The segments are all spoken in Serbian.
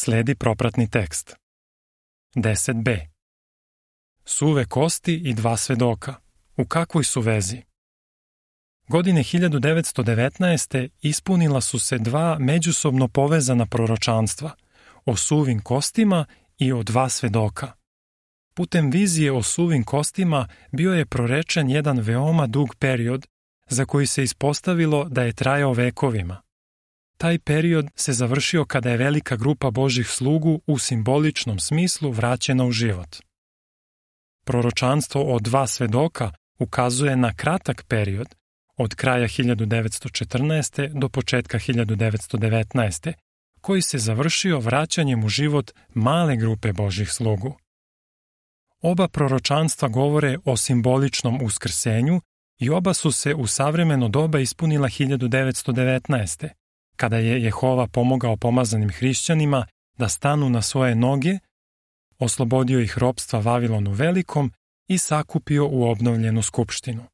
Sledi propratni tekst. 10b. Suve kosti i 2 svedoka. U kakvoj su vezi? Godine 1919. ispunila su se 2 međusobno povezana proročanstva o suvim kostima i o 2 svedoka. Putem vizije o suvim kostima bio je prorečen jedan veoma dug period za koji se ispostavilo da je trajao vekovima. Taj period se završio kada je velika grupa Božjih slugu u simboličnom smislu vraćena u život. Proročanstvo o 2 svedoka ukazuje na kratak period od kraja 1914. do početka 1919. koji se završio vraćanjem u život male grupe Božjih slugu. Oba proročanstva govore o simboličnom uskrsenju i oba su se u savremeno doba ispunila 1919. kada je Jehova pomogao pomazanim hrišćanima da stanu na svoje noge, oslobodio ih ropstva Vavilonu Velikom i sakupio u obnovljenu skupštinu.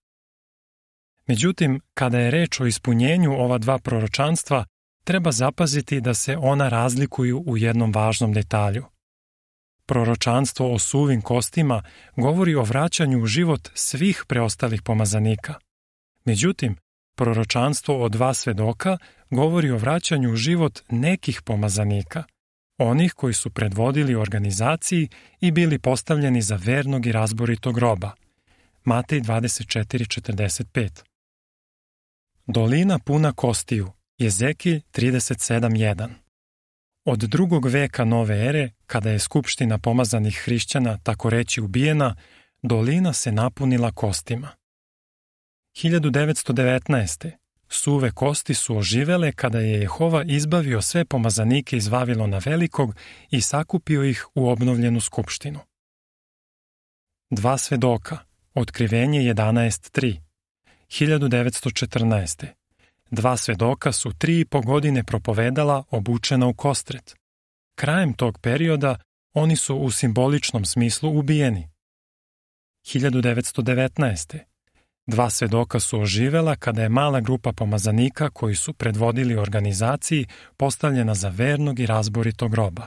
Međutim, kada je reč o ispunjenju ova 2 proročanstva, treba zapaziti da se ona razlikuju u jednom važnom detalju. Proročanstvo o suvim kostima govori o vraćanju u život svih preostalih pomazanika. Međutim, proročanstvo o 2 svedoka govori o vraćanju u život nekih pomazanika, onih koji su predvodili organizaciji i bili postavljeni za vernog i razboritog roba. Matej 24:45. Dolina puna kostiju. Jezekilj 37:1. Od 2. veka nove ere, kada je skupština pomazanih hrišćana tako reći ubijena, dolina se napunila kostima. 1919. Suve kosti su oživele kada je Jehova izbavio sve pomazanike iz Vavilona Velikog i sakupio ih u obnovljenu skupštinu. 2 svedoka. Otkrivenje 11:3. 1914. 2 svedoka su 3,5 godine propovedala obučena u kostret. Krajem tog perioda oni su u simboličnom smislu ubijeni. 1919. 2 svedoka su oživela kada je mala grupa pomazanika koji su predvodili organizaciji postavljena za vernog i razboritog roba.